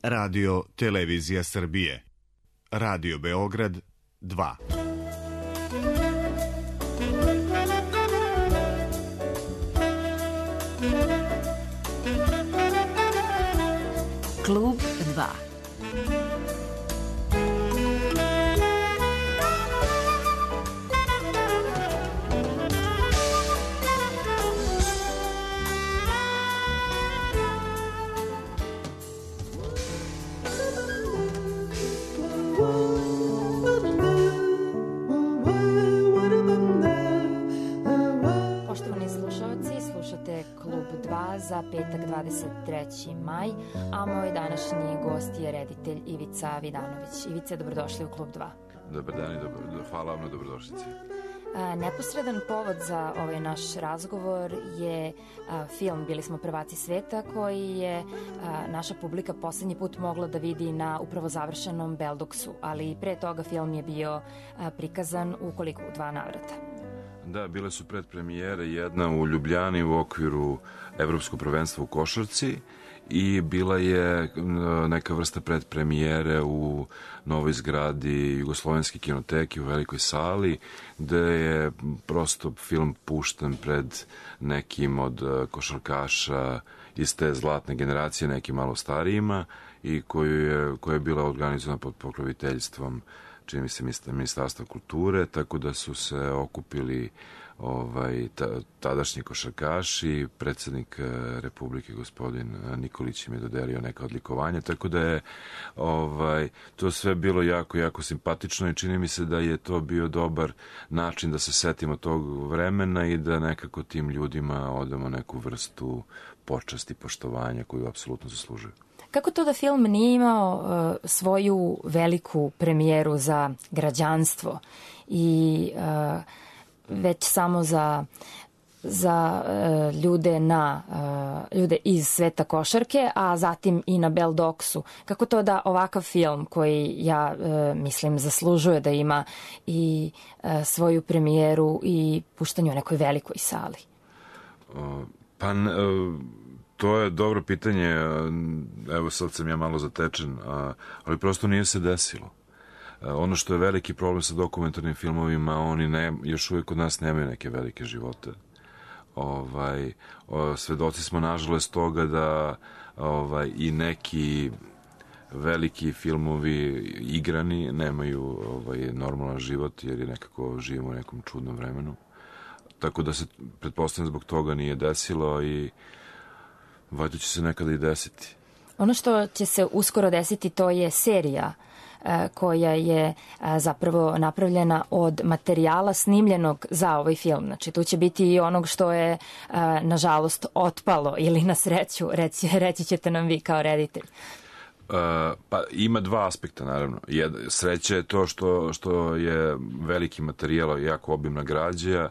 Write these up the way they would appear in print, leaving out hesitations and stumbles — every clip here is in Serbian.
Radio Televizija Srbije. Radio Beograd 2. Klub 2. Za petak 23. maj, a moj današnji gost je reditelj Ivica Vidanović. Ivica, dobrodošli u Klub 2. Dobar dan i hvala vam na dobrodošlici. Neposredan povod za ovaj naš razgovor je film Bili smo prvaci sveta, koji je naša publika poslednji put mogla da vidi na upravo završenom Beldoksu, ali pre toga film je bio prikazan u 2 navrata. Da, bile su predpremijere, jedna u Ljubljani u okviru Evropskog prvenstva u košarci i bila je neka vrsta predpremijere u novoj zgradi Jugoslovenske kinoteke u velikoj sali, gde je prosto film pušten pred nekim od košarkaša iz te zlatne generacije, nekim malo starijima, i koja je bila organizovana pod pokroviteljstvom, čini mi se, Ministarstva kulture, tako da su se okupili tadašnji košarkaši, predsednik Republike gospodin Nikolić im je dodelio neka odlikovanja, tako da je to sve bilo jako, jako simpatično i čini mi se da je to bio dobar način da se setimo tog vremena i da nekako tim ljudima odamo neku vrstu počasti, poštovanja koju apsolutno zaslužuju. Kako to da film nije imao svoju veliku premijeru za građanstvo i već samo za ljude iz sveta košarke, a zatim i na Beldoksu? Kako to da ovakav film, koji ja mislim zaslužuje da ima i svoju premijeru i puštanje u nekoj velikoj sali? To je dobro pitanje, evo sad sam ja malo zatečen, ali prosto nije se desilo. Ono što je veliki problem sa dokumentarnim filmovima, oni još uvijek kod nas nemaju neke velike živote. Svedoci smo nažalost toga da i neki veliki filmovi igrani nemaju normalan život, jer je nekako živimo u nekom čudnom vremenu. Tako da se, pretpostavljam, zbog toga nije desilo i valjda će se nekada i desiti. Ono što će se uskoro desiti, to je serija koja je zapravo napravljena od materijala snimljenog za ovaj film. Znači, tu će biti i onog što je, nažalost, otpalo ili na sreću, reći ćete nam vi kao reditelj. Pa ima dva aspekta, naravno. Sreća je to što je veliki materijal, jako obimna građa,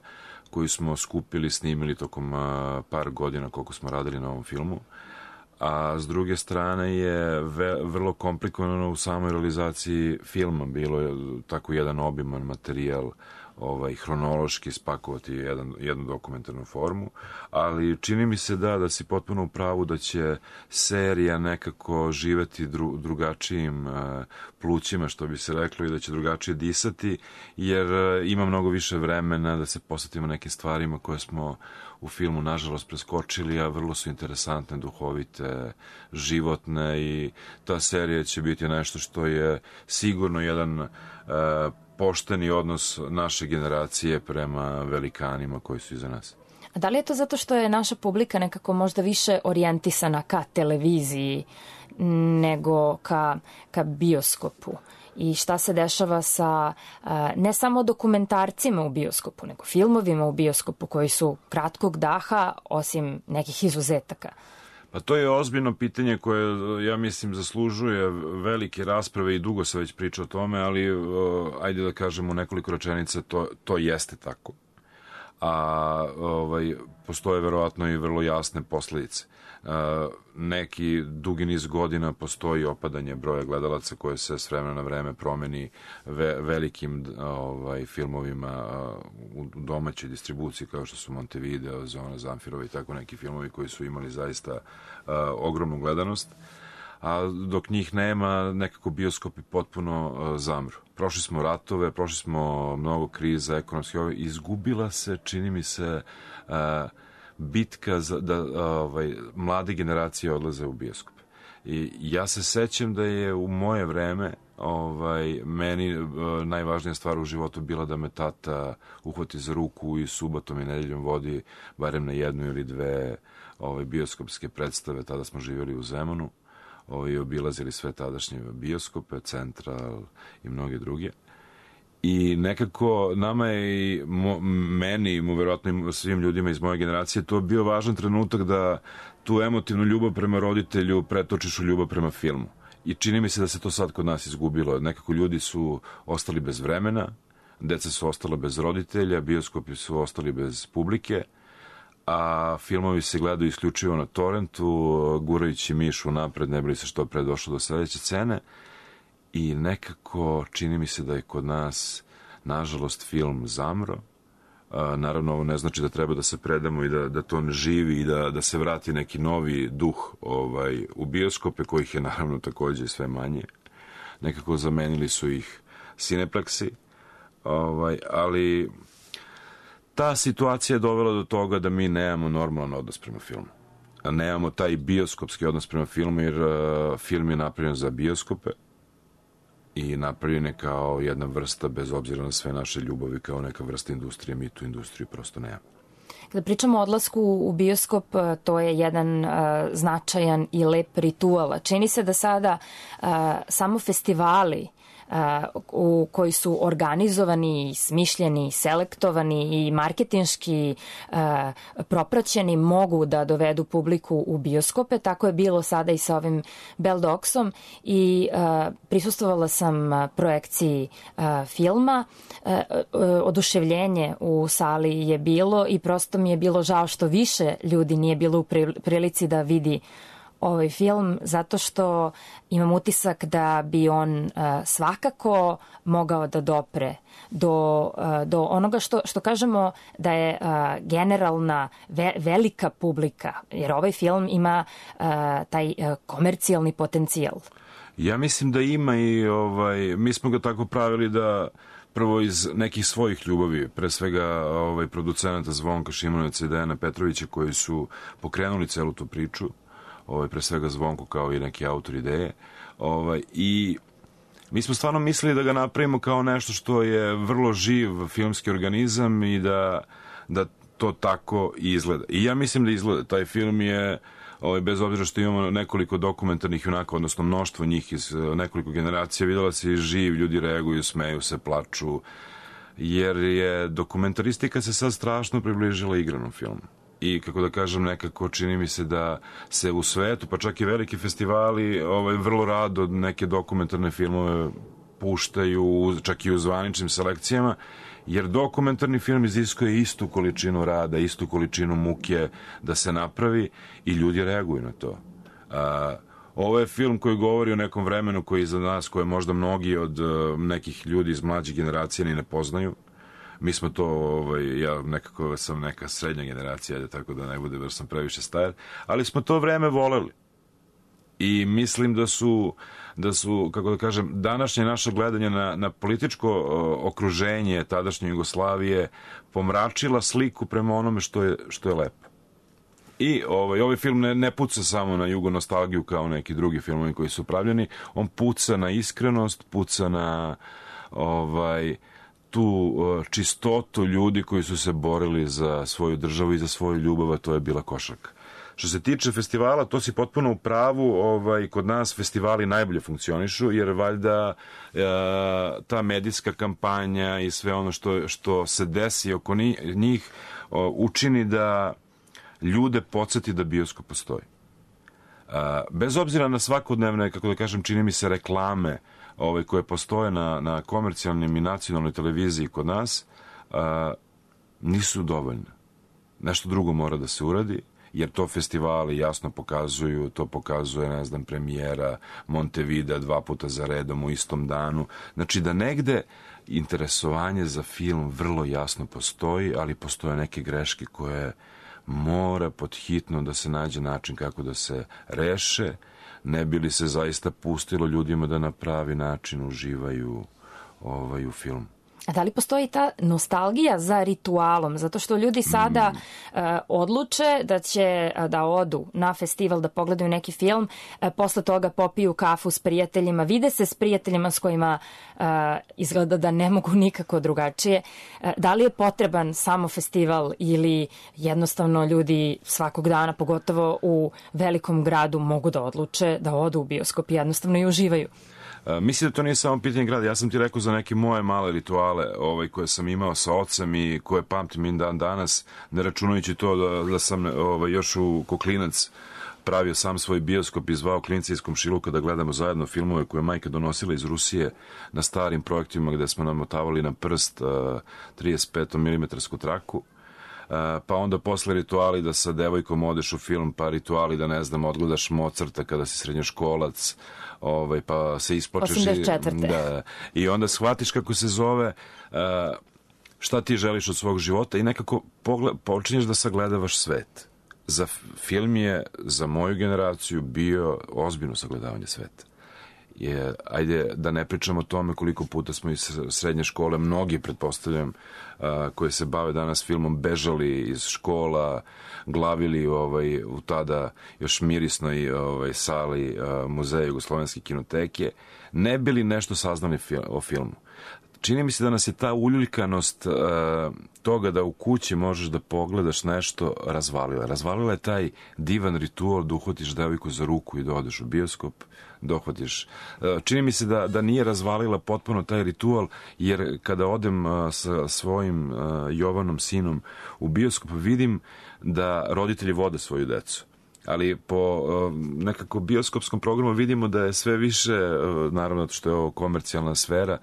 koju smo skupili, snimili tokom par godina koliko smo radili na ovom filmu. A s druge strane je vrlo komplikovano u samoj realizaciji filma. Bilo je tako jedan obiman materijal, hronološki spakovati jednu dokumentarnu formu, ali čini mi se da si potpuno u pravu da će serija nekako živeti drugačijim plućima, što bi se reklo, i da će drugačije disati, jer ima mnogo više vremena da se posvetimo nekim stvarima koje smo u filmu nažalost preskočili, a vrlo su interesantne, duhovite, životne, i ta serija će biti nešto što je sigurno jedan pošteni odnos naše generacije prema velikanima koji su iza nas. A da li je to zato što je naša publika nekako možda više orijentisana ka televiziji nego ka bioskopu? I šta se dešava sa ne samo dokumentarcima u bioskopu, nego filmovima u bioskopu koji su kratkog daha, osim nekih izuzetaka? Pa to je ozbiljno pitanje koje, ja mislim, zaslužuje velike rasprave i dugo se već priča o tome, ali ajde da kažemo nekoliko rečenica, to jeste tako. A postoje verovatno i vrlo jasne posledice. Neki dugi niz godina postoji opadanje broja gledalaca koje se s vremena na vreme promeni velikim filmovima u domaćoj distribuciji, kao što su Montevideo, Zona Zamfirova i tako neki filmovi koji su imali zaista ogromnu gledanost. a dok njih nema, nekako bioskopi potpuno zamru. Prošli smo ratove, prošli smo mnogo kriza ekonomskih, izgubila se, čini mi se, bitka da mlade generacije odlaze u bioskop. I ja se sećam da je u moje vreme meni najvažnija stvar u životu bila da me tata uhvati za ruku i subotom i nedeljom vodi barem na jednu ili dve bioskopske predstave. Tada smo živjeli u Zemunu i obilazili sve tadašnje bioskope, Central i mnoge druge. I nekako nama je i meni i verovatno i svim ljudima iz moje generacije to bio važan trenutak da tu emotivnu ljubav prema roditelju pretočiš u ljubav prema filmu. I čini mi se da se to sad kod nas izgubilo. Nekako ljudi su ostali bez vremena, deca su ostala bez roditelja, bioskopi su ostali bez publike, a filmovi se gledaju isključivo na torrentu, gurajući mišu napred, ne bi li se što pre došlo do sledeće scene. I nekako čini mi se da je kod nas, nažalost, film zamro. Naravno, ovo ne znači da treba da se predamo i da to ne živi i da se vrati neki novi duh u bioskope, kojih je naravno takođe sve manje. Nekako zamenili su ih Cinepleksi, ali ta situacija je dovela do toga da mi nemamo normalan odnos prema filmu. Nemamo taj bioskopski odnos prema filmu, jer film je napravljen za bioskope i napravljen je kao jedna vrsta, bez obzira na sve naše ljubavi, kao neka vrsta industrije. Mi tu industriju prosto nemamo. Kada pričamo o odlasku u bioskop, to je jedan značajan i lep ritual. Čini se da sada samo festivali koji su organizovani, smišljeni, selektovani i marketinški propraćeni mogu da dovedu publiku u bioskope. Tako je bilo sada i sa ovim Bell Dogsom i prisustvovala sam projekciji filma. Oduševljenje u sali je bilo i prosto mi je bilo žao što više ljudi nije bilo u prilici da vidi ovaj film, zato što imam utisak da bi on svakako mogao da dopre do onoga što kažemo da je generalna velika publika, jer ovaj film ima taj komercijalni potencijal. Ja mislim da ima i mi smo ga tako pravili da prvo iz nekih svojih ljubavi, pre svega producenata Zvonka Šimonovića i Dejana Petrovića, koji su pokrenuli celu tu priču, pre svega Zvonko kao i neki autor ideje, i mi smo stvarno mislili da ga napravimo kao nešto što je vrlo živ filmski organizam i da to tako izgleda. I ja mislim da izgleda. Taj film je, bez obzira što imamo nekoliko dokumentarnih junaka, odnosno mnoštvo njih iz nekoliko generacija, videla se i živ, ljudi reaguju, smeju se, plaču, jer je dokumentaristika se sad strašno približila igranom filmu. I, kako da kažem, nekako čini mi se da se u svetu, pa čak i veliki festivali, vrlo rado neke dokumentarne filmove puštaju, čak i u zvaničnim selekcijama, jer dokumentarni film iziskuje istu količinu rada, istu količinu muke da se napravi i ljudi reaguju na to. Ovo je film koji govori o nekom vremenu koji je za nas, koje možda mnogi od nekih ljudi iz mlađih generacija ni ne poznaju. Mi smo to, ja nekako sam neka srednja generacija, tako da ne bude da sam previše star, ali smo to vreme voleli. I mislim da su, kako da kažem, današnje naše gledanje na političko okruženje tadašnje Jugoslavije pomračila sliku prema onome što je lepo. I ovaj film ne puca samo na jugonostalgiju kao neki drugi filmovi koji su pravljeni, on puca na iskrenost, puca na tu čistotu ljudi koji su se borili za svoju državu i za svoju ljubav, a to je bila košarka. Što se tiče festivala, to si potpuno u pravu, kod nas festivali najbolje funkcionišu, jer valjda ta medijska kampanja i sve ono što se desi oko njih učini da ljude podsjeti da bioskop postoji. Bez obzira na svakodnevne, kako da kažem, čini mi se reklame koje postoje na komercijalnim i nacionalnoj televiziji kod nas, nisu dovoljne. Nešto drugo mora da se uradi, jer to festivali jasno pokazuju, to pokazuje, ne znam, premijera Montevidea 2 puta za redom u istom danu. Znači da negde interesovanje za film vrlo jasno postoji, ali postoje neke greške koje mora pod hitno da se nađe način kako da se reše, ne bi li se zaista pustilo ljudima da na pravi način uživaju u filmu. A da li postoji ta nostalgija za ritualom? Zato što ljudi sada odluče da će da odu na festival, da pogledaju neki film, posle toga popiju kafu s prijateljima, vide se s prijateljima s kojima izgleda da ne mogu nikako drugačije. Da li je potreban samo festival ili jednostavno ljudi svakog dana, pogotovo u velikom gradu, mogu da odluče da odu u bioskop i jednostavno i uživaju? Mislim da to nije samo pitanje grada. Ja sam ti rekao za neke moje male rituale koje sam imao sa ocem i koje pamtim i dan danas, ne računajući to da sam još ko klinac pravio sam svoj bioskop i zvao klince iz komšiluka da gledamo zajedno filmove koje je majka donosila iz Rusije na starim projektima gde smo namotavali na prst 35 mm traku. Pa onda posle rituali da sa devojkom odeš u film, pa rituali da, ne znam, odgledaš Mozarta kada si srednjoškolac, pa se isplačeš. 84. Da, i onda shvatiš kako se zove, šta ti želiš od svog života i nekako počinješ da sagledavaš svet. Za film je, za moju generaciju, bio ozbiljno sagledavanje sveta. Ajde da ne pričamo o tome koliko puta smo iz srednje škole, mnogi, pretpostavljam, koji se bave danas filmom, bežali iz škola, glavili u tada još mirisnoj sali Muzeja Jugoslovenske kinoteke, ne bili nešto saznali o filmu. Čini mi se da nas je ta uljuljkanost toga da u kući možeš da pogledaš nešto razvalila. Razvalila je taj divan ritual da uhvatiš devojku za ruku i da odeš u bioskop, dohvatiš. Čini mi se da nije razvalila potpuno taj ritual, jer kada odem sa svojim Jovanom sinom u bioskop, vidim da roditelji vode svoju decu. Ali po nekako bioskopskom programu vidimo da je sve više, naravno što je ovo komercijalna sfera,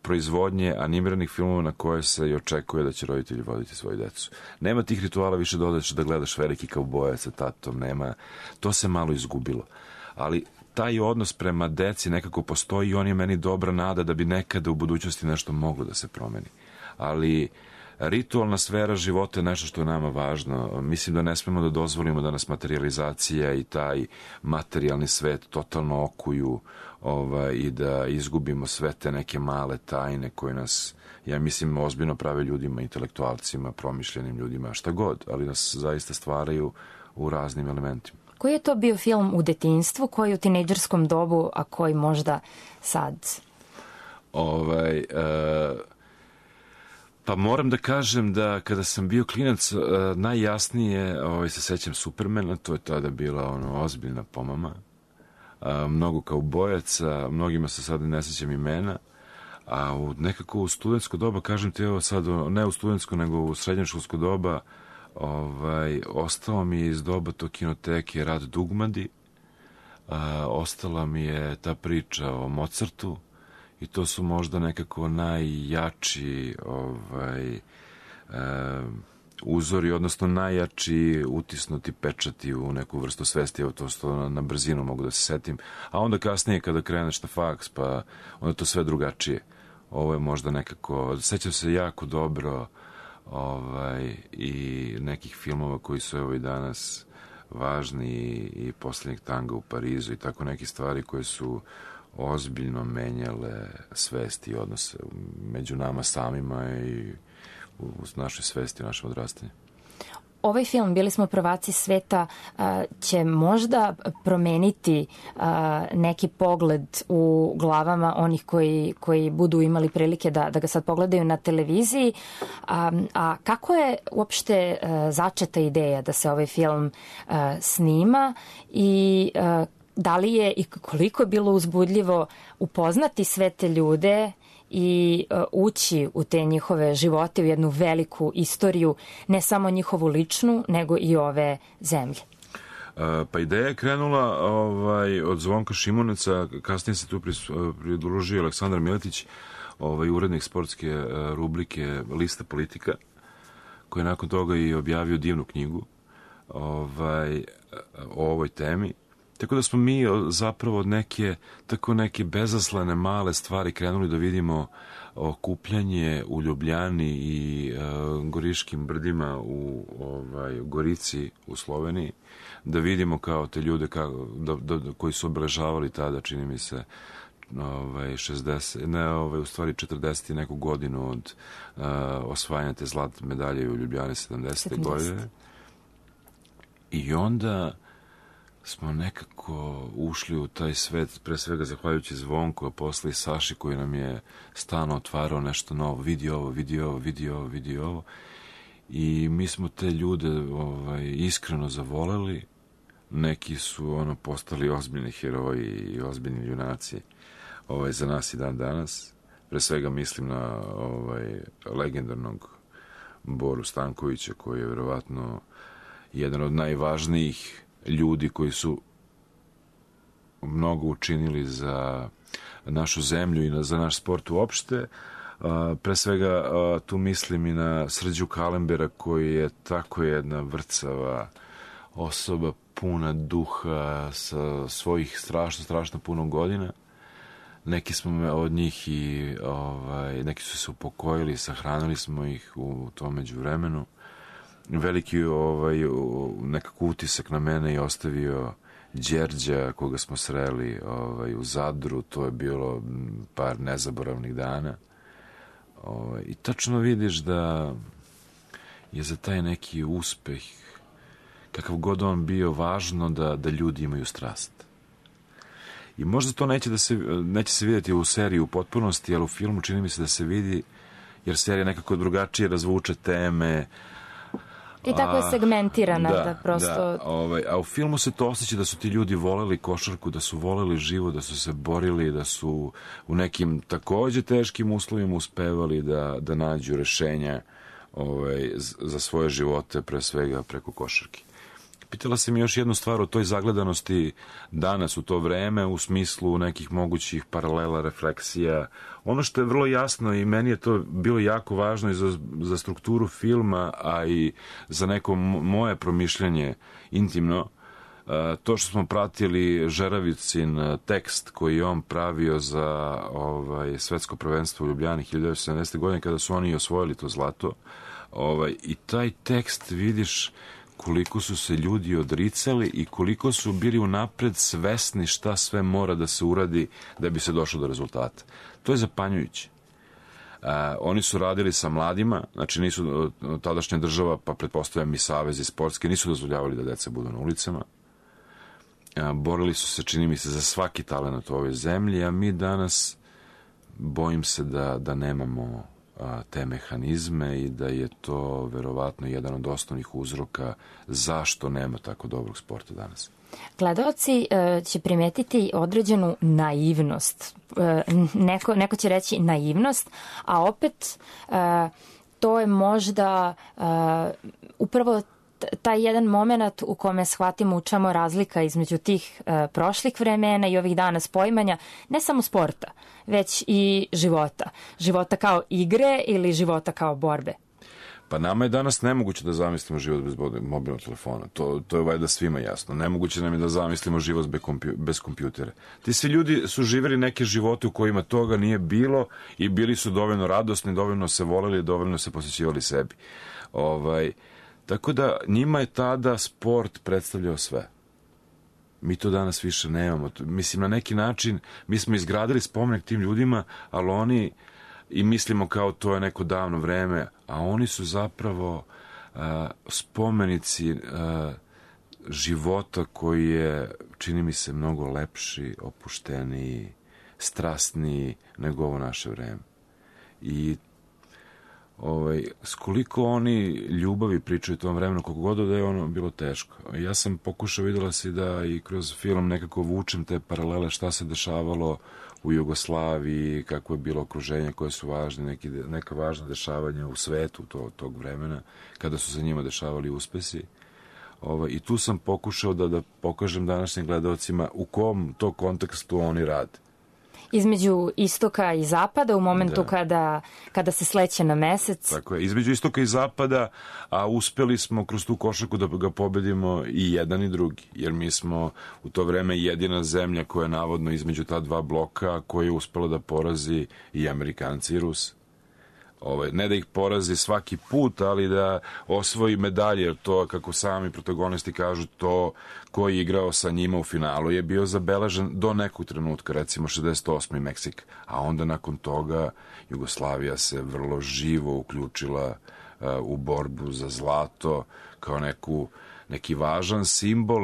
proizvodnje animiranih filmova na koje se i očekuje da će roditelji voditi svoju decu. Nema tih rituala više da odeš da gledaš Veliki kaubojac sa tatom, nema. To se malo izgubilo. Ali taj odnos prema deci nekako postoji i on je meni dobra nada da bi nekada u budućnosti nešto moglo da se promeni. Ali ritualna sfera života je nešto što je nama važno. Mislim da ne smemo da dozvolimo da nas materializacija i taj materijalni svet totalno okuju i da izgubimo sve te neke male tajne koje nas, ja mislim, ozbiljno prave ljudima, intelektualcima, promišljenim ljudima, šta god, ali nas zaista stvaraju u raznim elementima. Koji je to bio film u detinjstvu, koji u tinejdžerskom dobu, a koji možda sad? Pa moram da kažem da kada sam bio klinac, najjasnije se sećam Supermana, to je tada bila ozbiljna pomama. Mnogo kaubojaca, mnogima se sada ne sećam imena, a nekako u studentsko doba, kažem ti evo sad, ne u studentsko nego u srednjoškolsko doba, ostao mi je iz doba to kinoteke Rad Dugmadi, ostala mi je ta priča o Mozartu, i to su možda nekako najjači uzori, odnosno najjači utisnuti pečati u neku vrstu svesti. Evo to što na brzinu mogu da se setim. A onda kasnije kada kreneš na faks, pa onda to sve drugačije. Ovo je možda nekako, sećam se jako dobro i nekih filmova koji su evo i danas važni, i Poslednjeg tanga u Parizu i tako neke stvari koje su ozbiljno menjale svesti i odnose među nama samima i u našoj svesti, u našem odrastanju. Ovaj film, Bili smo prvaci sveta, će možda promeniti neki pogled u glavama onih koji budu imali prilike da ga sad pogledaju na televiziji. A kako je uopšte začeta ideja da se ovaj film snima i da li je i koliko je bilo uzbudljivo upoznati sve te ljude i ući u te njihove živote, u jednu veliku istoriju, ne samo njihovu ličnu, nego i ove zemlje? Pa ideja je krenula od Zvonka Šimuneca, kasnije se tu pridružio Aleksandar Miletić, urednik sportske rubrike Lista politika, koji je nakon toga i objavio divnu knjigu o ovoj temi. Tako da smo mi zapravo od neke bezaslane male stvari krenuli da vidimo okupljanje u Ljubljani i Goriškim brdima u Gorici u Sloveniji, da vidimo kao te ljude koji su obeležavali tada, čini mi se, 40 i neku godinu od osvajanja te zlatne medalje u Ljubljani 70. godine. I onda smo nekako ušli u taj svet, pre svega zahvaljujući Zvonku, a posle i Saši koji nam je stalno otvarao nešto novo, vidi ovo. I mi smo te ljude iskreno zavoleli, neki su postali ozbiljni heroji i ozbiljni junaci za nas i dan danas. Pre svega mislim na legendarnog Boru Stankovića, koji je verovatno jedan od najvažnijih ljudi koji su mnogo učinili za našu zemlju i za naš sport uopšte. Pre svega tu mislim i na Srđu Kalembera, koji je tako jedna vrcava osoba, puna duha, sa svojih strašno puno godina. Neki smo od njih i neki su se upokojili, sahranili smo ih u tom međuvremenu. Veliki nekako utisak na mene je ostavio Đerđa, koga smo sreli u Zadru. To je bilo par nezaboravnih dana. I tačno vidiš da je za taj neki uspeh, kakav god on bio, važno da ljudi imaju strast. I možda to neće se vidjeti u seriji u potpunosti, ali u filmu čini mi se da se vidi, jer serija nekako drugačije razvuče teme. I tako je segmentirana da prosto... A u filmu se to osjeća da su ti ljudi voleli košarku, da su voleli život, da su se borili, da su u nekim takođe teškim uslovima uspevali da nađu rešenja za svoje živote, pre svega preko košarke. Pitala si mi još jednu stvar o toj zagledanosti danas u to vreme, u smislu nekih mogućih paralela, refleksija. Ono što je vrlo jasno i meni je to bilo jako važno i za strukturu filma, a i za neko moje promišljanje intimno, to što smo pratili Žeravicin tekst koji je on pravio za svetsko prvenstvo u Ljubljani 1970. godine, kada su oni osvojili to zlato. I taj tekst vidiš koliko su se ljudi odricali i koliko su bili unapred svesni šta sve mora da se uradi da bi se došlo do rezultata. To je zapanjujuće. Oni su radili sa mladima, znači nisu tadašnja država, pa pretpostavljam i savezi sportski, nisu dozvoljavali da deca budu na ulicama. Borili su se, čini mi se, za svaki talent u ovoj zemlji, a mi danas bojim se da nemamo te mehanizme i da je to verovatno jedan od osnovnih uzroka zašto nema tako dobrog sporta danas. Gledaoci će primetiti određenu naivnost. Neko će reći naivnost, a opet to je možda upravo taj jedan moment u kome shvatimo u čemu razlika između tih prošlih vremena i ovih dana poimanja ne samo sporta, već i života. Života kao igre ili života kao borbe. Pa nama je danas nemoguće da zamislimo život bez mobilnog telefona. To je valjda svima jasno. Nemoguće nam je da zamislimo život bez kompjutera. Ti svi ljudi su živjeli neke živote u kojima toga nije bilo i bili su dovoljno radosni, dovoljno se voleli, dovoljno se posvećivali sebi. Tako da njima je tada sport predstavljao sve. Mi to danas više nemamo. Mislim, na neki način mi smo izgradili spomenik tim ljudima, ali oni, i mislimo kao to je neko davno vreme, a oni su zapravo spomenici života koji je, čini mi se, mnogo lepši, opušteniji, strasniji nego ovo naše vreme. I s koliko oni ljubavi pričaju u tom vremenu, koliko god da je ono bilo teško. Ja sam pokušao, videla si da i kroz film nekako vučem te paralele šta se dešavalo u Jugoslaviji, kako je bilo okruženje, koje su važne, neka važna dešavanja u svetu tog vremena, kada su se njima dešavali uspesi. I tu sam pokušao da pokažem današnjim gledalcima u kom to kontekstu oni rade. Između istoka i zapada u momentu kada se sleće na mesec. Tako je, između istoka i zapada, a uspeli smo kroz tu košarku da ga pobedimo i jedan i drugi, jer mi smo u to vreme jedina zemlja koja je navodno između ta dva bloka koja je uspela da porazi i Amerikanci i Rusi. Ne da ih porazi svaki put, ali da osvoji medalje, jer to, kako sami protagonisti kažu, to ko je igrao sa njima u finalu je bio zabeležen do nekog trenutka, recimo 68. Meksik, a onda nakon toga Jugoslavija se vrlo živo uključila u borbu za zlato kao neki važan simbol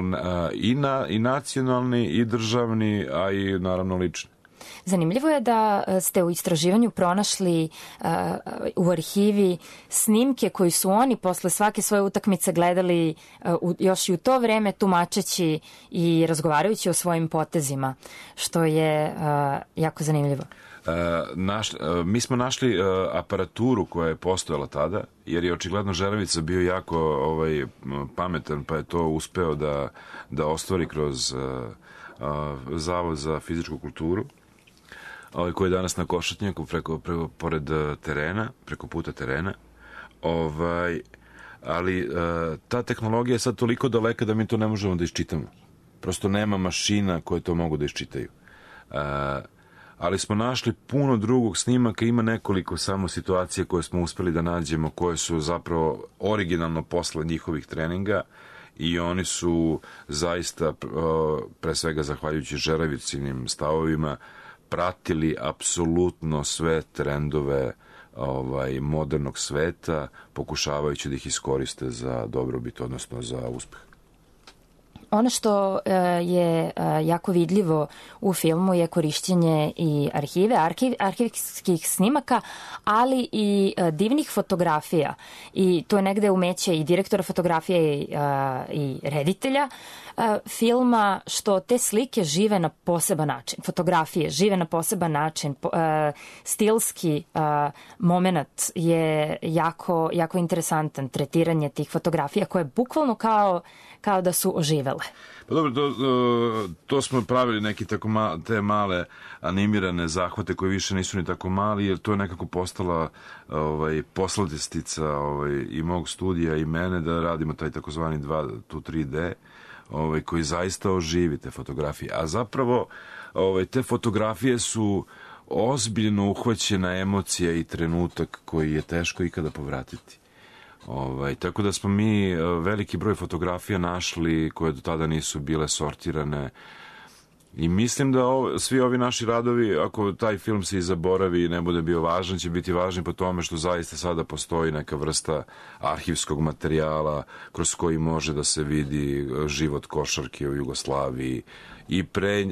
i nacionalni i državni, a i naravno lični. Zanimljivo je da ste u istraživanju pronašli u arhivi snimke koji su oni posle svake svoje utakmice gledali još i u to vreme, tumačeći i razgovarajući o svojim potezima, što je jako zanimljivo. Mi smo našli aparaturu koja je postojala tada, jer je očigledno Žeravica bio jako pametan, pa je to uspeo da ostvari kroz Zavod za fizičku kulturu, koji je danas na Košutnjaku pored terena, preko puta terena. Ali ta tehnologija je sad toliko daleka da mi to ne možemo da iščitamo. Prosto nema mašina koje to mogu da iščitaju. Ali smo našli puno drugog snimaka, ima nekoliko samo situacija koje smo uspeli da nađemo, koje su zapravo originalno posle njihovih treninga, i oni su zaista, pre svega zahvaljujući Žeravicinim stavovima, pratili apsolutno sve trendove modernog sveta, pokušavajući da ih iskoriste za dobrobit, odnosno za uspeh. Ono što je jako vidljivo u filmu je korišćenje i arhivskih snimaka, ali i divnih fotografija. I to je negde umeće i direktora fotografije i reditelja filma, što te slike žive na poseban način. Fotografije žive na poseban način. Stilski moment je jako interesantan. Tretiranje tih fotografija koje je bukvalno kao da su oživele. Pa dobro, to smo pravili neki tako te male animirane zahvate koji više nisu ni tako mali, jer to je nekako postala posladistica i mog studija i mene da radimo taj takozvani 3D, koji zaista oživi te fotografije. A zapravo te fotografije su ozbiljno uhvaćena emocija i trenutak koji je teško ikada povratiti. Tako da smo mi veliki broj fotografija našli koje do tada nisu bile sortirane, i mislim da svi ovi naši radovi, ako taj film se i zaboravi i ne bude bio važan, će biti važni po tome što zaista sada postoji neka vrsta arhivskog materijala kroz koji može da se vidi život košarke u Jugoslaviji i pre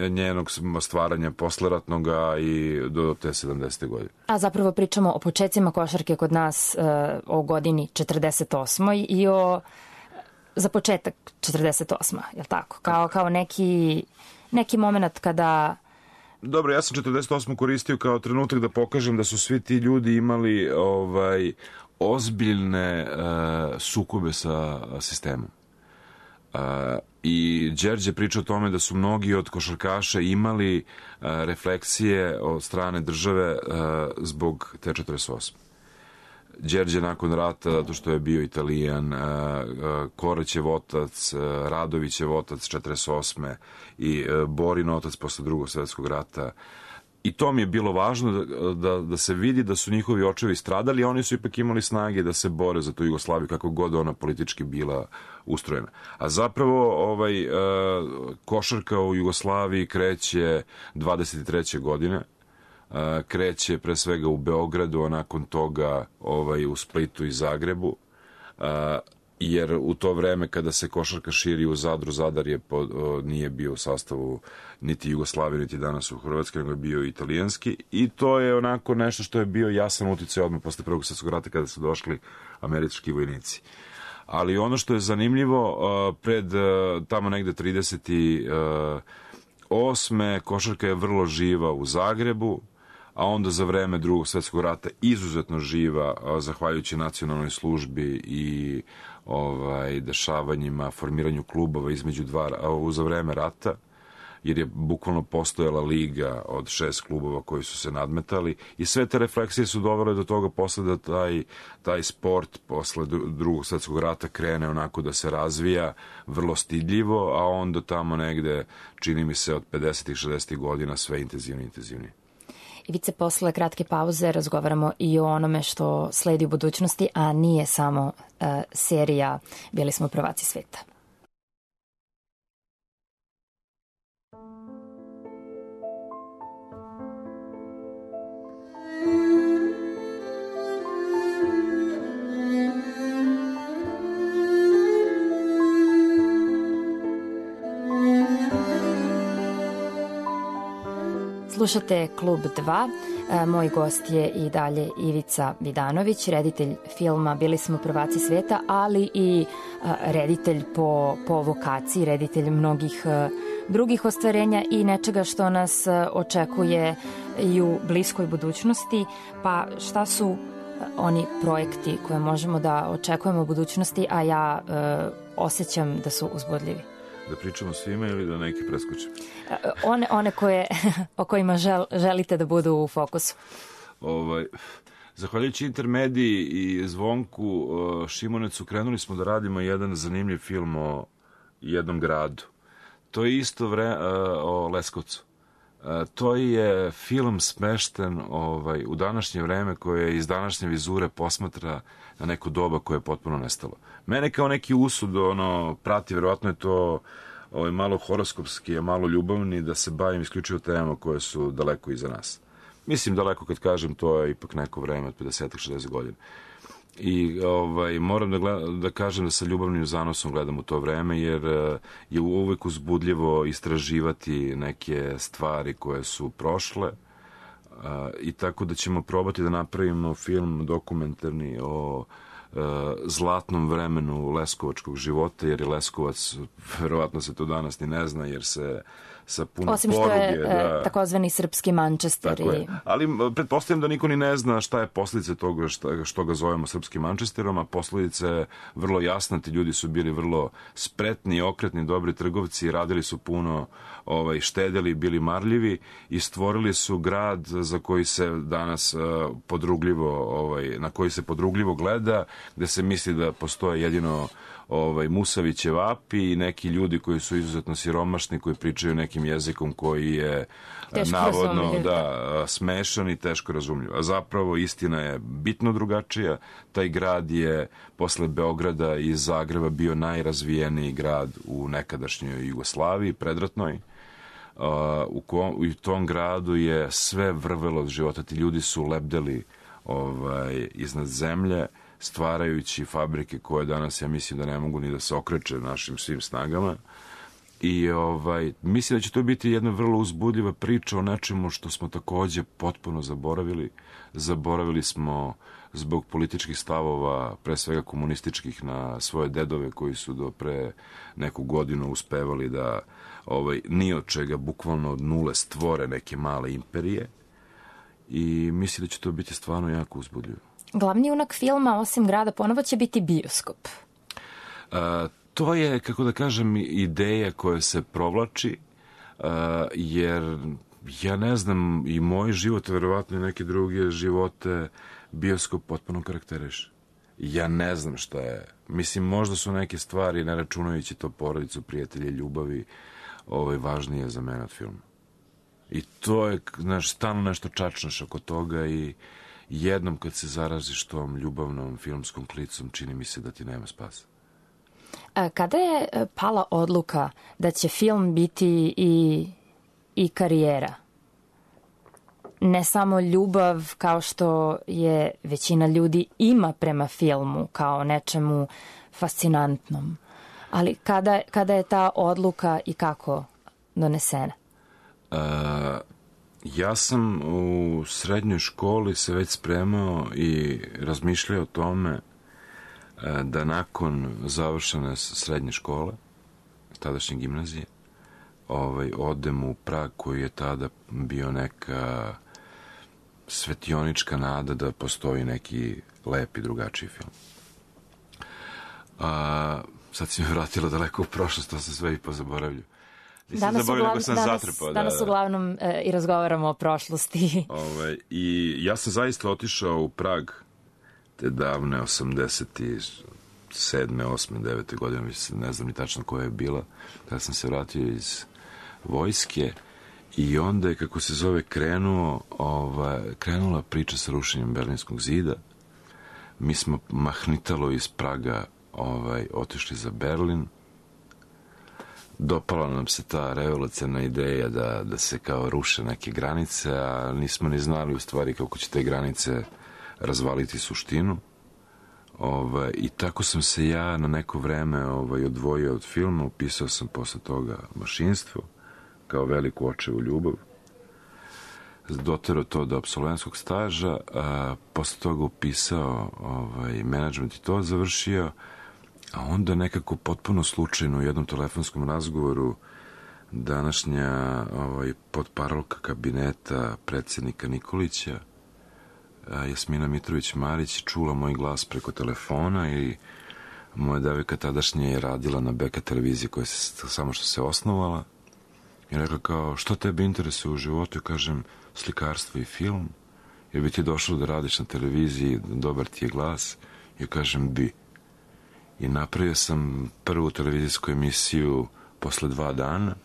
njenog stvaranja posleratnoga i do te 70. godine. A zapravo pričamo o početcima košarke kod nas, o godini 48. i za početak 48. je li tako? Kao neki moment kada... Dobro, ja sam 48. koristio kao trenutak da pokažem da su svi ti ljudi imali ozbiljne sukobe sa sistemom. I Đerđe priča o tome da su mnogi od košarkaša imali refleksije od strane države zbog te 48. Đerđe nakon rata, zato što je bio Italijan, Korećev otac, Radovićev otac 48. i Borin otac posle Drugog svjetskog rata. I to mi je bilo važno da se vidi da su njihovi očevi stradali, a oni su ipak imali snage da se bore za tu Jugoslaviju, kako god ona politički bila ustrojena. A zapravo košarka u Jugoslaviji kreće 23. godine. Kreće pre svega u Beogradu, a nakon toga u Splitu i Zagrebu, jer u to vreme kada se košarka širi u Zadru, Zadar nije bio u sastavu niti Jugoslavije, niti danas u Hrvatskoj, nego je bio italijanski, i to je onako nešto što je bio jasan uticaj odmah posle Prvog svjetskog rata kada su došli američki vojnici. Ali ono što je zanimljivo, pred tamo negde 38. košarka je vrlo živa u Zagrebu, a onda za vreme Drugog svjetskog rata izuzetno živa, zahvaljujući nacionalnoj službi i dešavanjima, formiranju klubova između za vreme rata, jer je bukvalno postojala liga od 6 klubova koji su se nadmetali i sve te refleksije su dovele do toga posle da taj sport posle Drugog svetskog rata krene onako da se razvija vrlo stidljivo, a onda tamo negde, čini mi se od 50. 60. godina sve intenzivnije. Ivice, posle kratke pauze razgovaramo i o onome što sledi u budućnosti, a nije samo serija Bili smo prvaci sveta. Slušate Klub 2. Moj gost je i dalje Ivica Vidanović, reditelj filma Bili smo prvaci sveta, ali i reditelj po vokaciji, reditelj mnogih drugih ostvarenja i nečega što nas očekuje i u bliskoj budućnosti. Pa šta su oni projekti koje možemo da očekujemo u budućnosti, a ja osjećam da su uzbudljivi? Da pričamo svima ili da neki preskočim? One o kojima želite da budu u fokusu. Zahvaljujući Intermediji i Zvonku Šimonecu krenuli smo da radimo jedan zanimljiv film o jednom gradu. To je isto o Leskovcu. To je film smešten u današnje vreme koje iz današnje vizure posmatra na neko doba koje je potpuno nestalo. Mene kao neki usud prati, verovatno je to malo horoskopski, malo ljubavni, da se bavim isključivo temama koje su daleko iza nas. Mislim daleko kad kažem, to je ipak neko vreme od 50-60 godina. I moram da kažem da sa ljubavnim zanosom gledam u to vreme, jer je uvek uzbudljivo istraživati neke stvari koje su prošle, i tako da ćemo probati da napravimo film dokumentarni o zlatnom vremenu leskovačkog života, jer je Leskovac, verovatno se to danas ni ne zna, jer se sa puno osim što poruge, je takozvani srpski Manchester. Tako je. Ali pretpostavljam da niko ni ne zna šta je posledice toga što ga zovemo srpskim Manchesterom, a posledice je vrlo jasna. Ti ljudi su bili vrlo spretni, okretni, dobri trgovci, radili su puno, štedeli, bili marljivi i stvorili su grad za koji se danas na koji se podrugljivo gleda, gde se misli da postoje jedino Musavićev api i neki ljudi koji su izuzetno siromašni, koji pričaju nekim jezikom koji je navodno smešan i teško razumljiv. A zapravo istina je bitno drugačija. Taj grad je posle Beograda i Zagreba bio najrazvijeniji grad u nekadašnjoj Jugoslaviji, predratnoj. U tom gradu je sve vrvelo od života. Ti ljudi su lebdeli iznad zemlje, stvarajući fabrike koje danas, ja mislim da ne mogu ni da se okreće našim svim snagama. I mislim da će to biti jedna vrlo uzbudljiva priča o nečemu što smo takođe potpuno zaboravili. Zaboravili smo zbog političkih stavova, pre svega komunističkih, na svoje dedove koji su do pre neku godinu uspevali da ni od čega, bukvalno od nule, stvore neke male imperije. I mislim da će to biti stvarno jako uzbudljivo. Glavni junak filma, osim grada, ponovo će biti bioskop. To je, kako da kažem, ideja koja se provlači, jer ja ne znam, i moj život, verovatno i neke druge živote, bioskop potpuno karakteriše. Ja ne znam šta je. Mislim, možda su neke stvari, ne računajući to porodicu, prijatelje, ljubavi, važnije za mene od filma. I to je, stalno nešto čačnaš oko toga i jednom kad se zaraziš tom ljubavnom filmskom klicom, čini mi se da ti nema spasa. Kada je pala odluka da će film biti i karijera? Ne samo ljubav kao što je većina ljudi ima prema filmu kao nečemu fascinantnom, ali kada je ta odluka i kako donesena? Ja sam u srednjoj školi se već spremao i razmišljao o tome da nakon završene srednje škole, tadašnje gimnazije, odem u Prag, koji je tada bio neka svetionička nada da postoji neki lep i drugačiji film. Sad si me vratila daleko u prošlost, to se sve i pozaboravlju. Danas uglavnom i razgovaramo o prošlosti. I ja sam zaista otišao u Prag te davne 87. 8. 9. godine, ne znam ni tačno koja je bila, kada sam se vratio iz vojske. I onda je, kako se zove, krenula priča sa rušenjem Berlinskog zida. Mi smo mahnitalo iz Praga otišli za Berlin. Dopala nam se ta revolucionarna ideja da se kao ruše neke granice, a nismo ni znali u stvari kako će te granice razvaliti suštinu. I tako sam se ja na neko vreme odvojio od filma, upisao sam posle toga mašinstvo, kao veliku očevu ljubav. Doterao to do apsolventskog staža, a posle toga upisao menadžment i to završio, a onda nekako potpuno slučajno u jednom telefonskom razgovoru današnja potparolka kabineta predsjednika Nikolića, Jasmina Mitrović-Marić, čula moj glas preko telefona i moja devojka tadašnja je radila na BK televiziji koja se samo što se osnovala. I rekla kao, što tebe interesuje u životu? Ja kažem, slikarstvo i film. Jer bi ti došlo da radiš na televiziji, dobar ti je glas. Ja kažem, bi. I napravio sam prvu televizijsku emisiju posle 2 dana.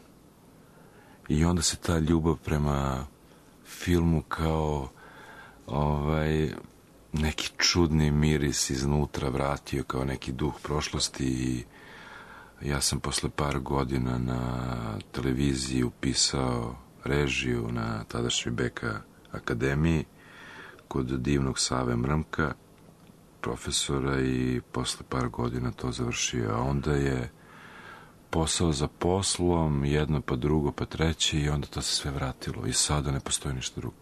I onda se ta ljubav prema filmu kao neki čudni miris iznutra vratio, kao neki duh prošlosti. I ja sam posle par godina na televiziji upisao režiju na tadašnjoj BK akademiji kod divnog Save Mrmka, profesora, i posle par godina to završio. A onda je posao za poslom, jedno pa drugo pa treće, i onda to se sve vratilo. I sada ne postoji ništa drugo.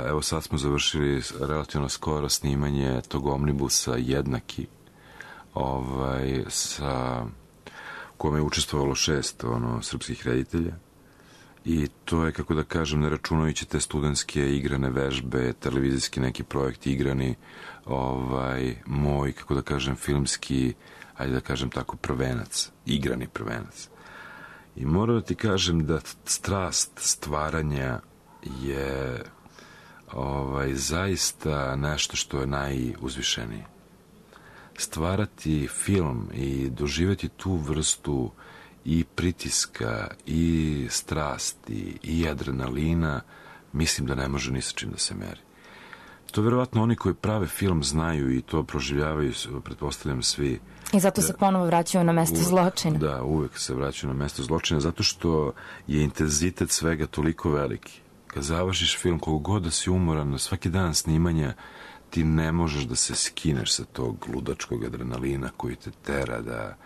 Evo sad smo završili relativno skoro snimanje tog omnibusa Jednaki, u kome je učestvovalo 6 srpskih reditelja. I to je, kako da kažem, ne računajući te studentske igrane vežbe, televizijski neki projekti igrani, moj, kako da kažem, filmski, ajde da kažem tako, prvenac, igrani prvenac. I moram da ti kažem da strast stvaranja je zaista nešto što je najuzvišenije. Stvarati film i doživjeti tu vrstu i pritiska i strasti i adrenalina, mislim da ne može ni sa čim da se meri. To verovatno oni koji prave film znaju i to proživljavaju, pretpostavljam, svi. I zato se ponovo vraćaju na mesto zločina. Da, uvek se vraćaju na mesto zločina, zato što je intenzitet svega toliko veliki. Kad završiš film, koliko god da si umoran, na svaki dan snimanja, ti ne možeš da se skineš sa tog ludačkog adrenalina koji te tera da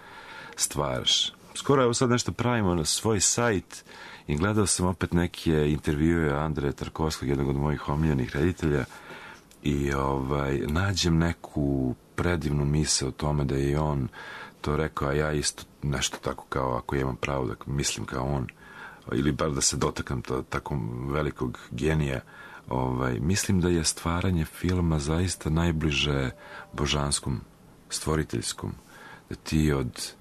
stvaraš. Skoro evo sad nešto pravimo na svoj sajt i gledao sam opet neke intervjue Andreja Tarkovskog, jednog od mojih omiljenih reditelja, i nađem neku predivnu misao o tome da je on to rekao, a ja isto nešto tako kao, ako imam pravo da mislim kao on, ili bar da se dotakam tako velikog genija, mislim da je stvaranje filma zaista najbliže božanskom, stvoriteljskom, da ti od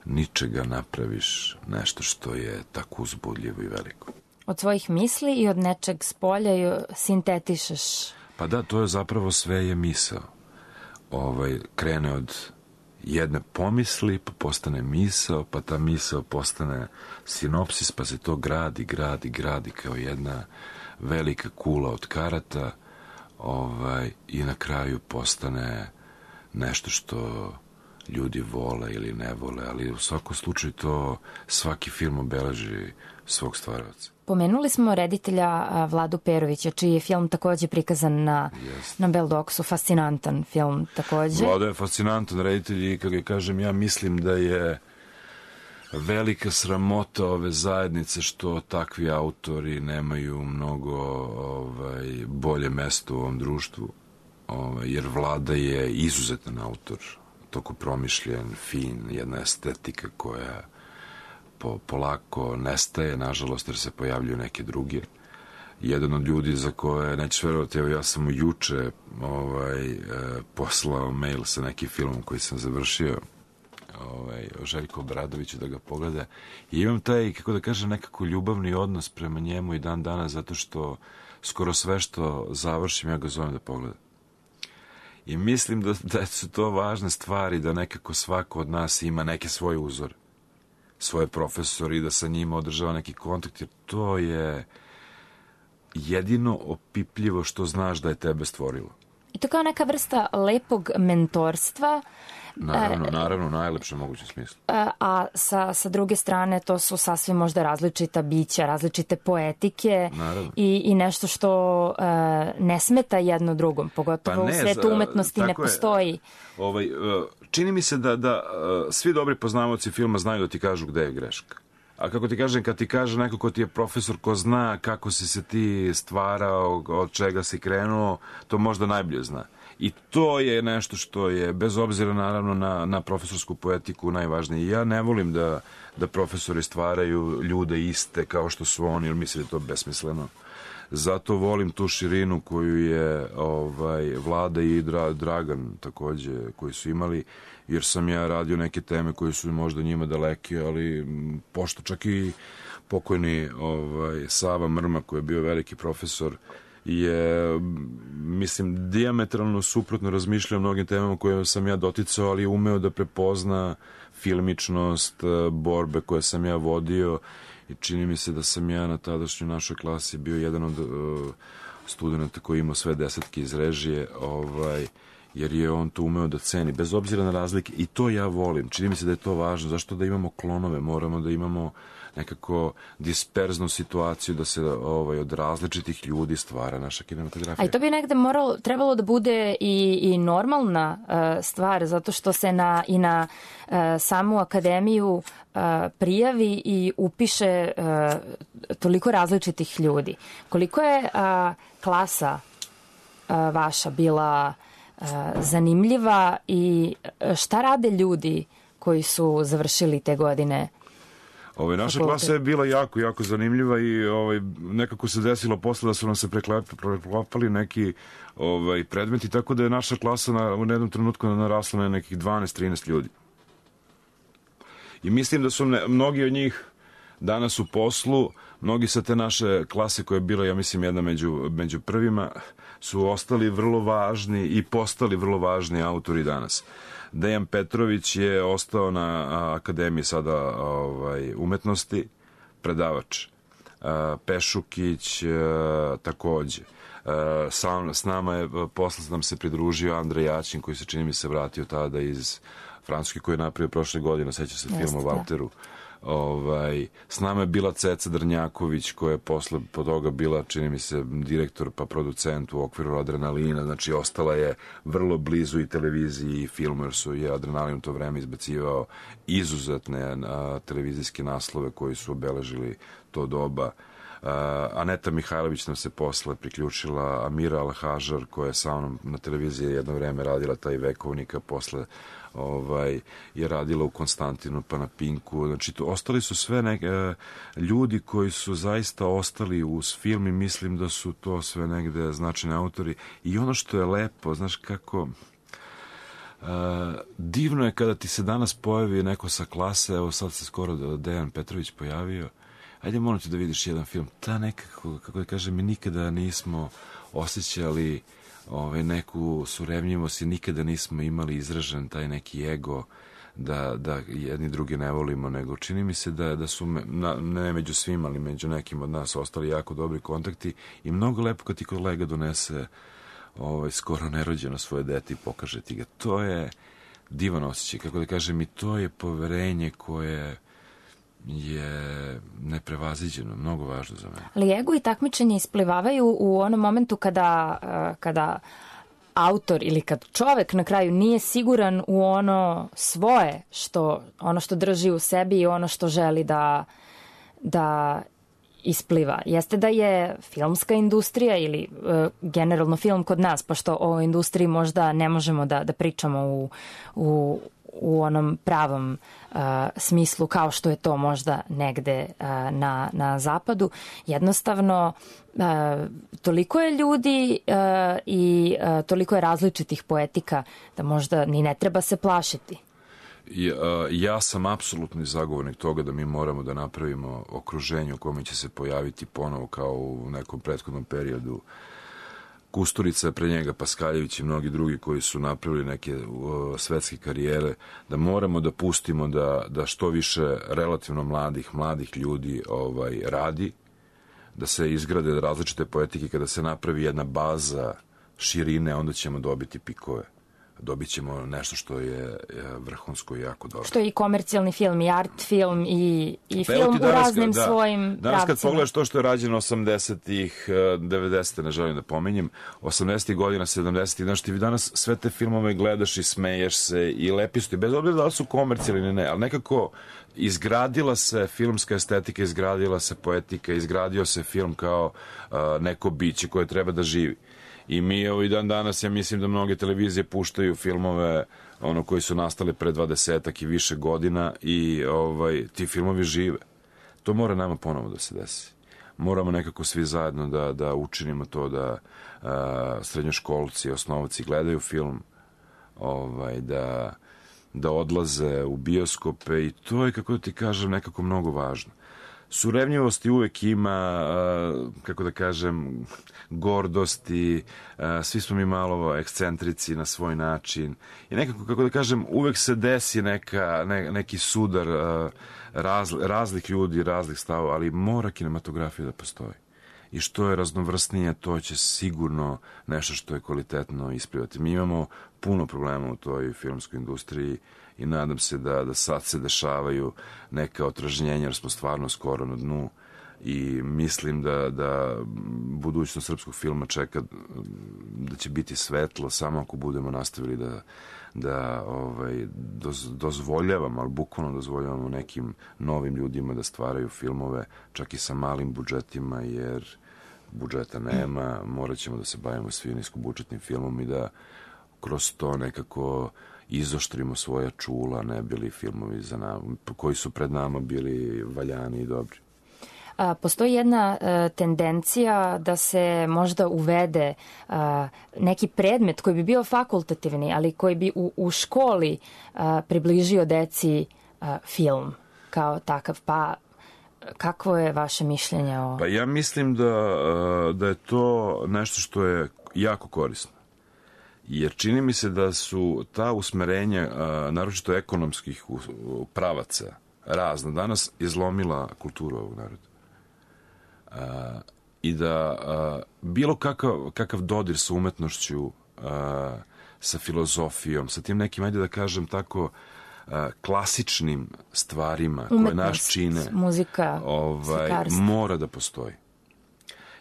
ničega napraviš nešto što je tako uzbudljivo i veliko. Od svojih misli i od nečeg spolja i sintetišeš. Pa da, to je zapravo sve je misao. Krene od jedne pomisli, pa postane misao, pa ta misao postane sinopsis, pa se to gradi kao jedna velika kula od karata, i na kraju postane nešto što ljudi vole ili ne vole, ali u svakom slučaju to svaki film obeleži svog stvaraoca. Pomenuli smo reditelja Vladu Perovića, čiji je film takođe prikazan na Beldoksu, fascinantan film takođe. Vlada je fascinantan reditelj i, kako je kažem, ja mislim da je velika sramota ove zajednice što takvi autori nemaju mnogo bolje mesto u ovom društvu, jer Vlada je izuzetan autor, toko promišljen, fin, jedna estetika koja polako nestaje, nažalost, jer se pojavljuju neke druge. Jedan od ljudi za koje, nećeš verovati, evo ja sam mu juče poslao mail sa nekim filmom koji sam završio, Željko Obradoviću da ga pogleda. I imam taj, kako da kažem, nekako ljubavni odnos prema njemu i dan danas, zato što skoro sve što završim, ja ga zovem da pogleda. I mislim da su to važne stvari, da nekako svako od nas ima neke svoje uzore, svoje profesori, da sa njima održava neki kontakt, jer to je jedino opipljivo što znaš da je tebe stvorilo. I to kao neka vrsta lepog mentorstva. Naravno, u najlepšem mogućem smislu. A sa druge strane to su sasvim možda različita bića, različite poetike i nešto što ne smeta jedno drugom, pogotovo u svetu umetnosti ne postoji. Čini mi se da svi dobri poznavaoci filma znaju da ti kažu gde je greška. A kako ti kažem, kad ti kaže neko ko ti je profesor, ko zna kako si se ti stvarao, od čega si krenuo, to možda najbolje zna. I to je nešto što je, bez obzira naravno na profesorsku poetiku, najvažnije. Ja ne volim da profesori stvaraju ljude iste kao što su oni, jer mislim da je to besmisleno. Zato volim tu širinu koju je Vlada i Dragan takođe, koji su imali, jer sam ja radio neke teme koje su možda njima daleke, ali pošto čak i pokojni Sava Mrma, koji je bio veliki profesor, je, mislim, dijametralno suprotno razmišljao o mnogim temama koje sam ja doticao, ali je umeo da prepozna filmičnost, borbe koje sam ja vodio, i čini mi se da sam ja na tadašnjoj našoj klasi bio jedan od studenta koji imao sve 10 iz režije, jer je on to umeo da ceni, bez obzira na razlike, i to ja volim. Čini mi se da je to važno. Zašto da imamo klonove? Moramo da imamo nekako disperznu situaciju, da se od različitih ljudi stvara naša kinematografija. A i to bi negde trebalo da bude i normalna stvar, zato što se i na samu akademiju prijavi i upiše toliko različitih ljudi. Koliko je klasa vaša bila zanimljiva i šta rade ljudi koji su završili te godine? Naša klasa je bila jako, jako zanimljiva i nekako se desilo posle da su nam se preklapali neki predmeti, tako da je naša klasa u jednom trenutku narasla na nekih 12-13 ljudi. I mislim da su mnogi od njih danas u poslu, mnogi sa te naše klase koja je bila, ja mislim, jedna među prvima, su ostali vrlo važni i postali vrlo važni autori danas. Dejan Petrović je ostao na Akademiji sada umetnosti, predavač. Pešukić takođe. S nama je, posle nam se pridružio Andrej Jaćin, koji se, čini mi se, vratio tada iz Francuske, koji je napravio prošle godine, seća se filma o Valteru. S nama je bila Ceca Drnjaković, koja je posle po toga bila, čini mi se, direktor pa producent u okviru Adrenalina, znači ostala je vrlo blizu i televiziji i filmu, jer su je Adrenalin u to vreme izbacivao izuzetne televizijske naslove koji su obeležili to doba. Aneta Mihajlović nam se posle priključila, Amira Alhažar, koja je sa mnom na televiziji jedno vreme radila taj Vekovnika, posle je radila u Konstantinu pa na Pinku. Znači, ostali su sve ljudi koji su zaista ostali uz film i mislim da su to sve negde značajni autori. I ono što je lepo, znaš kako, divno je kada ti se danas pojavi neko sa klase, evo sad se skoro Dejan Petrović pojavio, ajde molim te da vidiš jedan film, ta nekako, kako da kažem, mi nikada nismo osjećali neku surevnjivost i nikada nismo imali izražen taj neki ego da jedni drugi ne volimo, nego čini mi se da su, ne među svima, ali među nekim od nas ostali jako dobri kontakti i mnogo lepo kad ti kolega donese skoro nerođeno svoje dete i pokaže ti ga. To je divan osjećaj, kako da kažem, i to je poverenje koje je neprevaziđeno, mnogo važno za mene. Ali ego i takmičenje isplivavaju u onom momentu kada autor ili kad čovek na kraju nije siguran u ono svoje, ono što drži u sebi i ono što želi da ispliva. Jeste da je filmska industrija ili generalno film kod nas, pošto o industriji možda ne možemo da pričamo u onom pravom smislu kao što je to možda negde na zapadu. Jednostavno, toliko je ljudi i toliko je različitih poetika da možda ni ne treba se plašiti. Ja sam apsolutni zagovornik toga da mi moramo da napravimo okruženje u kome će se pojaviti ponovo kao u nekom prethodnom periodu Kusturica, pre njega Paskaljević i mnogi drugi koji su napravili neke svetske karijere, da moramo da pustimo da što više relativno mladih ljudi radi, da se izgrade različite poetike, kada se napravi jedna baza širine, onda ćemo dobiti pikove. Dobit ćemo nešto što je vrhunsko i jako dobro. Što je i komercijalni film, i art film, i film u raznim svojim pravcima. Danas kad pogledaš to što je rađeno 80-ih, 90-te, ne želim da pominjem, 80-ih godina, 70-ih, znaš, ti danas sve te filmove gledaš i smeješ se i lepi su ti, bez obzira da li su komercijalni ili ne, ali nekako izgradila se filmska estetika, izgradila se poetika, izgradio se film kao neko biće koje treba da živi. I mi i dan danas, ja mislim da mnoge televizije puštaju filmove koji su nastali pre 20-ak i više godina i ti filmovi žive. To mora nama ponovo da se desi. Moramo nekako svi zajedno da učinimo to da srednjoškolci, osnovci gledaju film, da odlaze u bioskope i to je, kako da ti kažem, nekako mnogo važno. Surevnjivosti uvek ima, kako da kažem, gordosti, svi smo mi malo ekscentrici na svoj način i nekako, kako da kažem, uvek se desi neki sudar raznih ljudi, raznih stavova, ali mora kinematografija da postoji. I što je raznovrsnije, to će sigurno nešto što je kvalitetno isplivati. Mi imamo puno problema u toj filmskoj industriji i nadam se da sad se dešavaju neka otražnjenja, jer smo stvarno skoro na dnu i mislim da budućnost srpskog filma čeka, da će biti svetlo samo ako budemo nastavili da dozvoljavamo, ali bukvalno dozvoljavamo nekim novim ljudima da stvaraju filmove, čak i sa malim budžetima, jer budžeta nema, morat ćemo da se bavimo svi niskobudžetnim filmom i da kroz to nekako izoštrimo svoja čula, ne bili filmovi koji su pred nama bili valjani i dobri. Postoji jedna tendencija da se možda uvede neki predmet koji bi bio fakultativni, ali koji bi u školi približio deci film kao takav. Pa kakvo je vaše mišljenje o... Pa ja mislim da je to nešto što je jako korisno. Jer čini mi se da su ta usmerenja, naročito ekonomskih pravaca, razna, danas izlomila kulturu ovog naroda. I da bilo kakav dodir sa umetnošću, sa filozofijom, sa tim nekim, ajde da kažem tako, klasičnim stvarima koje nas čine, muzika, mora da postoji.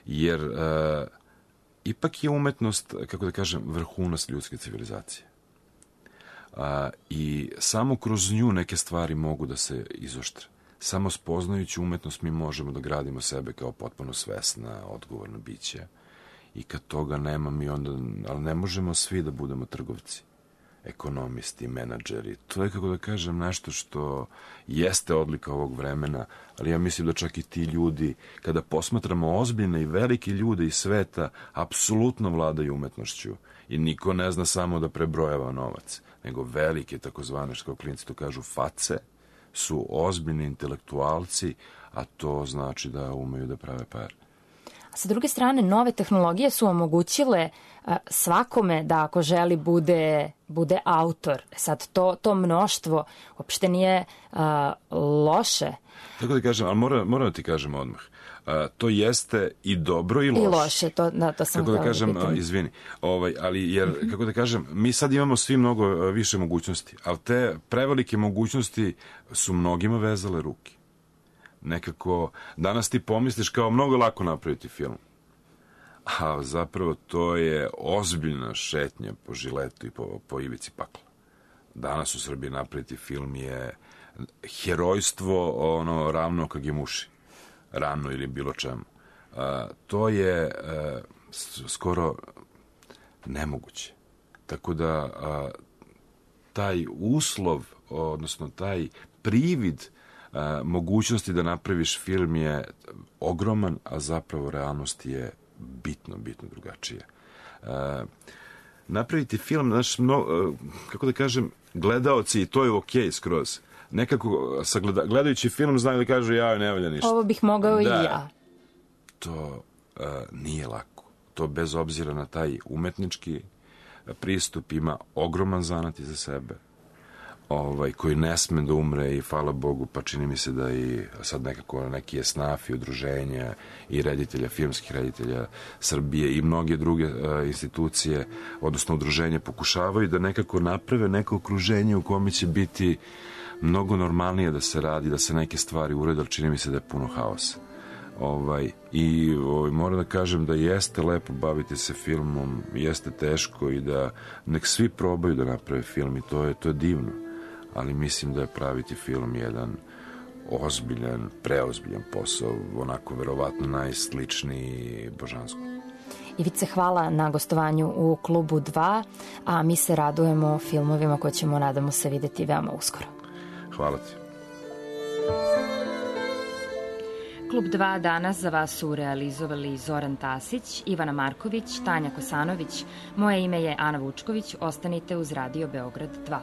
Jer ipak je umetnost, kako da kažem, vrhunac ljudske civilizacije. I samo kroz nju neke stvari mogu da se izoštre. Samo spoznajući umetnost mi možemo da gradimo sebe kao potpuno svesna, odgovorna bića. I kad toga nema, mi onda, ali ne možemo svi da budemo trgovci, ekonomisti, menadžeri. To je, kako da kažem, nešto što jeste odlika ovog vremena, ali ja mislim da čak i ti ljudi, kada posmatramo ozbiljne i velike ljude iz sveta, apsolutno vladaju umetnošću. I niko ne zna samo da prebrojava novac, nego velike, takozvane, što klinci to kažu, face, su ozbiljni intelektualci, a to znači da umeju da prave pare. A sa druge strane, nove tehnologije su omogućile svakome da ako želi bude autor. Sad to mnoštvo uopšte nije loše. Tako da kažem, ali moram da ti kažem odmah. To jeste i dobro i loše. I loše, to sam kako da kažem, izvini. Ali jer, kako da kažem, mi sad imamo svi mnogo više mogućnosti, ali te prevelike mogućnosti su mnogima vezale ruke. Nekako, danas ti pomisliš kao mnogo lako napraviti film. A zapravo to je ozbiljna šetnja po žiletu i po ivici pakla. Danas u Srbiji napraviti film je herojstvo ravno Kagemuši. Rano ili bilo čemu. To je skoro nemoguće. Tako da taj uslov, odnosno taj privid mogućnosti da napraviš film je ogroman, a zapravo realnost je bitno drugačija. Napraviti film, kako da kažem, gledaoci, i to je okej skroz. Nekako, gledajući film, znaju da kažu, ja ne valja ništa. Ovo bih mogao i ja. To nije lako. To bez obzira na taj umetnički pristup ima ogroman zanat iza sebe, koji ne sme da umre i hvala Bogu, pa čini mi se da i sad nekako neki esnafi, udruženja i reditelja, filmskih reditelja Srbije i mnoge druge institucije, odnosno udruženja, pokušavaju da nekako naprave neko okruženje u kome će biti mnogo normalnije da se radi, da se neke stvari urede, ali čini mi se da je puno haosa. Moram da kažem da jeste lepo baviti se filmom, jeste teško i da nek svi probaju da naprave film i to je divno, ali mislim da je praviti film jedan ozbiljan, preozbiljan posao, onako verovatno najsličniji božanskom. Ivice, hvala na gostovanju u Klubu 2, a mi se radujemo filmovima koje ćemo, nadamo se, videti veoma uskoro. Hvala ti. Klub 2 danas za vas su realizovali Zoran Tasić, Ivana Marković, Tanja Kosanović. Moje ime je Ana Vučković. Ostanite uz Radio Beograd 2.